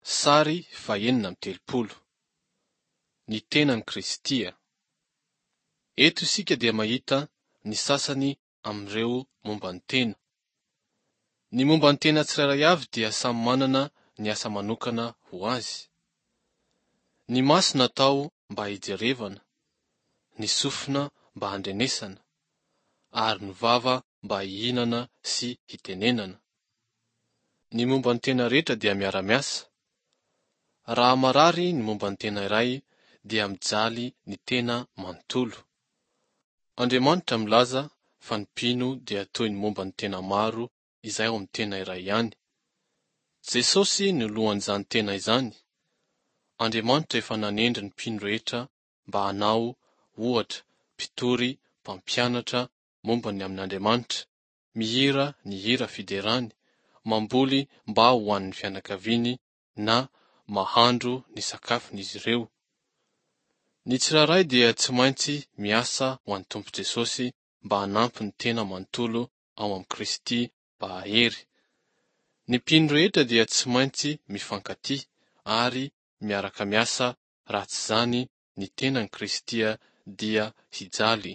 Sary fahenina amby telopolo. Ny tenan'i Kristy. Eto isika dia mahita ny sasany amin'ireo momba ny tena. Ny momba ny tena tsirairay avy dia samy manana ny asa manokana ho azy. Ny maso natao mba hijerevana, ny sofina mba handrenesana, ary ny vava mba hihinana sy hitenenana. Ny momba ny tena rehetra dia miara-miasa. Raha marary ny momba ny tena iray dia mijaly ny tena manontolo. Andriamanitra milaza fa ny mpino dia toy ny momba ny tena maro izay ao amin'ny tena iray ihany. Jesosy no lohan'izany tena izany. Andriamanitra efa nanendry ny mpino rehetra mba hanao, ohatra, mpitory, mpampianatra momba ny amin'Andriamanitra, mihira ny hira fiderany, mamboly mba ho an'ny fianakaviany na mahandro ny sakafon'izy ireo. Ny tsirairay dia tsy maintsy miasa ho an'ny Tompo Jesosy mba hanampy ny tena manontolo ao amin'i Kristy mba hahery. Ny mpino rehetra dia tsy maintsy mifankatia ary miaraka miasa raha tsy izany ny tenan'i Kristy dia hijaly.